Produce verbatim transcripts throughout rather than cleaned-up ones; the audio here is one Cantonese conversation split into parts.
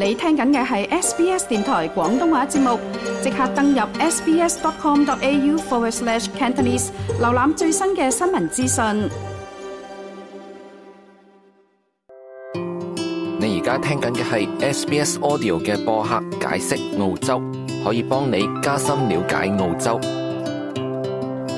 你聽緊嘅係 S B S 電台廣東話節目，即刻登入 sbs.com.au forward slash Cantonese， 瀏覽最新嘅新聞資訊。你而家聽緊嘅係 S B S Audio 嘅播客解釋澳洲，可以幫你加深了解澳洲。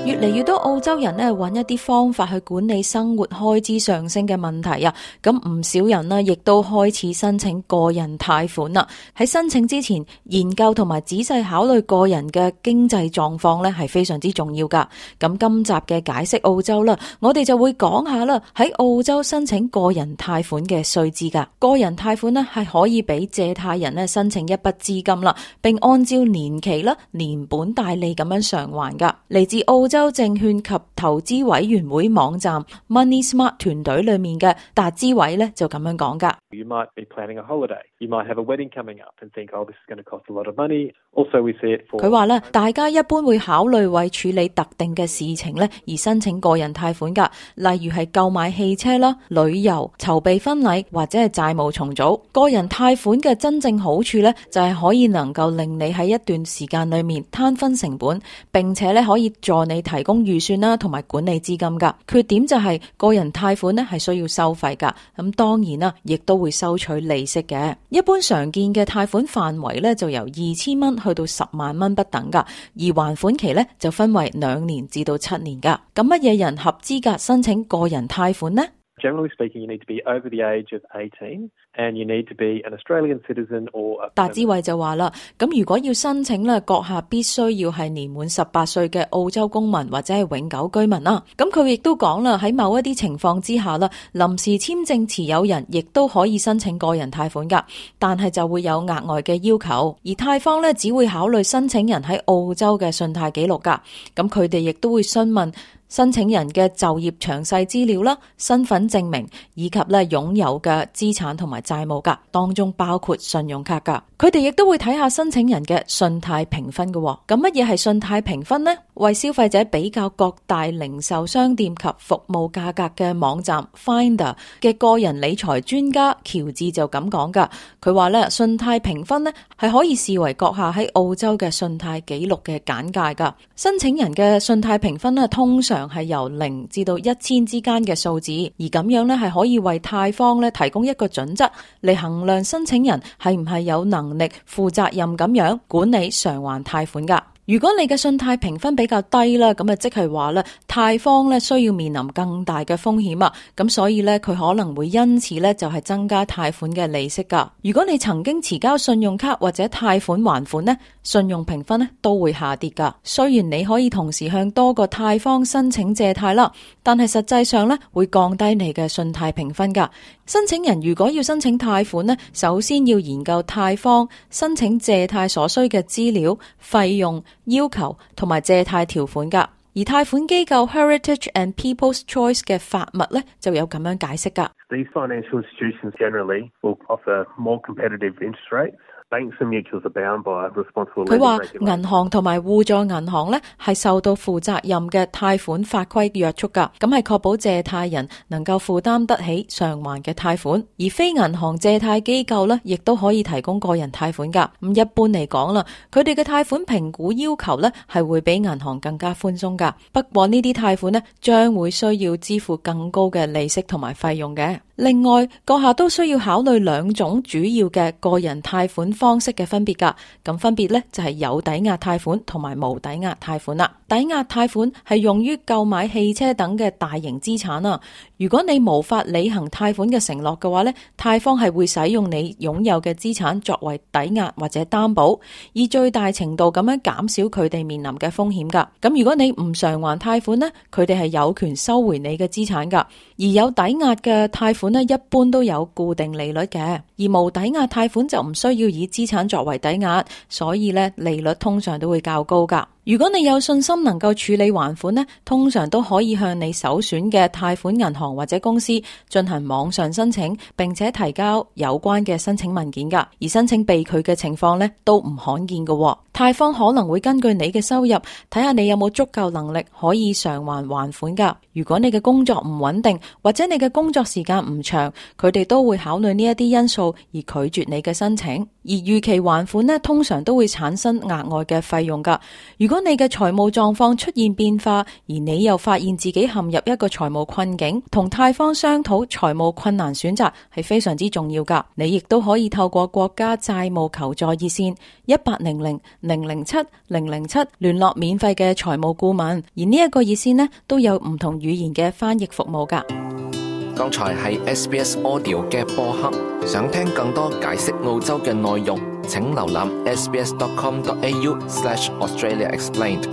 越嚟越多澳洲人呢揾一啲方法去管理生活開支上升嘅問題啊，咁唔少人呢亦都開始申請個人貸款啦。喺申請之前，研究同埋仔細考慮個人嘅經濟狀況呢係非常之重要噶。咁今集嘅解釋澳洲啦，我哋就會講下啦，喺澳洲申請個人貸款嘅稅制噶。個人貸款呢係可以俾借貸人呢申請一筆資金啦，並按照年期啦、連本帶利咁樣償還噶。嚟自澳洲證券及投資委員會網站 Money Smart 團隊裏面嘅達之偉咧就咁樣講噶。You might be planning a holiday. You might have a wedding coming up and think, oh, this is going to cost a lot of money. Also, we see it for... 佢話咧，大家一般會考慮為處理特定嘅事情咧而申請個人貸款噶，例如係購買汽車啦、旅遊、籌備婚禮或者係債務重組。個人貸款嘅真正好處咧，就係可以能夠令你喺一段時間裏面攤分成本，並且咧可以助你提供預算啦，同埋管理資金噶。缺點就係個人貸款咧係需要收費噶，咁當然啦，亦都會收取利息嘅。一般常見嘅貸款範圍咧就由二千蚊去到十萬蚊不等噶，而還款期咧就分為兩年至到七年噶。咁乜嘢人合資格申請個人貸款呢？Generally speaking, you need to be over the age of eighteen and you need to be an Australian citizen or a... 達之偉就話啦，咁如果要申請咧，閣下必須要係年滿十八歲嘅澳洲公民或者係永久居民啦。咁佢亦都講啦，喺某一啲情況之下啦，臨時簽證持有人亦都可以申請個人貸款噶，但係就會有額外嘅要求，而貸方咧只會考慮申請人喺澳洲嘅信貸記錄噶，咁佢哋亦都會詢問申請人嘅就業詳細資料啦、身份證明以及咧擁有嘅資產同埋債務噶，當中包括信用卡噶。佢哋亦都會睇下申請人嘅信貸評分嘅。咁乜嘢係信貸評分呢？為消費者比較各大零售商店及服務價格嘅網站 Finder 嘅個人理財專家喬治就咁講噶。佢話咧，信貸評分咧係可以視為閣下喺澳洲嘅信貸記錄嘅簡介噶。申請人嘅信貸評分咧通常係由零至到一千之間嘅數字，而咁樣咧係可以為貸方咧提供一個準則嚟衡量申請人係唔係有能力負責任咁樣管理償還貸款噶。如果你嘅信貸評分比較低啦，咁啊即係話咧，貸方咧需要面臨更大嘅風險啊，咁所以咧佢可能會因此咧就係增加貸款嘅利息噶。如果你曾經遲交信用卡或者貸款還款咧，信用評分咧都會下跌噶。雖然你可以同時向多個貸方申請借貸啦，但係實際上咧會降低你嘅信貸評分噶。申請人如果要申請貸款咧，首先要研究貸方申請借貸所需嘅資料、費用、要求同埋借貸條款噶。而貸款機構 Heritage and People's Choice 嘅法密咧就有咁樣解釋噶。These financial institutions generally will offer more competitive interest rates. 佢話銀行同埋互助銀行咧係受到負責任嘅貸款法規約束噶，咁係確保借貸人能夠負擔得起償還嘅貸款。而非銀行借貸機構咧亦都可以提供個人貸款噶。咁一般嚟講啦，佢哋嘅貸款評估要求咧係會比銀行更加寬鬆噶。不過呢啲貸款咧將會需要支付更高嘅利息同埋費用嘅。另外，閣下都需要考慮兩種主要嘅個人貸款方式嘅分別噶，咁分別咧就係有抵押貸款同埋無抵押貸款啦。抵押貸款係用於購買汽車等嘅大型資產啊。如果你無法履行貸款嘅承諾嘅話咧，貸方係會使用你擁有嘅資產作為抵押或者擔保，以最大程度咁樣減少佢哋面臨嘅風險噶。咁如果你唔償還貸款咧，佢哋係有權收回你嘅資產噶。而有抵押嘅貸款咧，一般都有固定利率嘅，而無抵押貸款就唔需要以資產作為抵押，所以咧利率通常都會較高噶。如果你有信心能夠處理還款呢，通常都可以向你首選嘅貸款銀行或者公司進行網上申請，並且提交有關嘅申請文件噶。而申請被拒嘅情況呢，都唔罕見嘅。貸方可能會根據你嘅收入，睇下你有冇足夠能力可以償還還款噶。如果你嘅工作唔穩定，或者你嘅工作時間唔長，佢哋都會考慮呢一啲因素而拒絕你嘅申請。而逾期還款呢，通常都會產生額外嘅費用噶。如果你嘅財務狀況出現變化，而你又發現自己陷入一個財務困境，同貸方商討財務困難選擇係非常之重要噶。你亦都可以透過國家債務求助熱線一八零零零零七零零七聯絡免費嘅財務顧問，而呢一個熱線呢，都有唔同語言嘅翻譯服務噶。剛才係 S B S Audio 嘅播客，想聽更多解釋澳洲嘅內容，請瀏覽 sbs.com.au slash Australia Explained。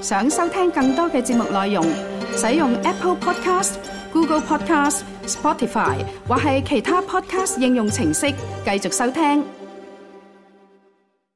想收聽更多嘅節目內容，使用 Apple Podcast、Google Podcast、Spotify 或係其他 Podcast 應用程式繼續收聽。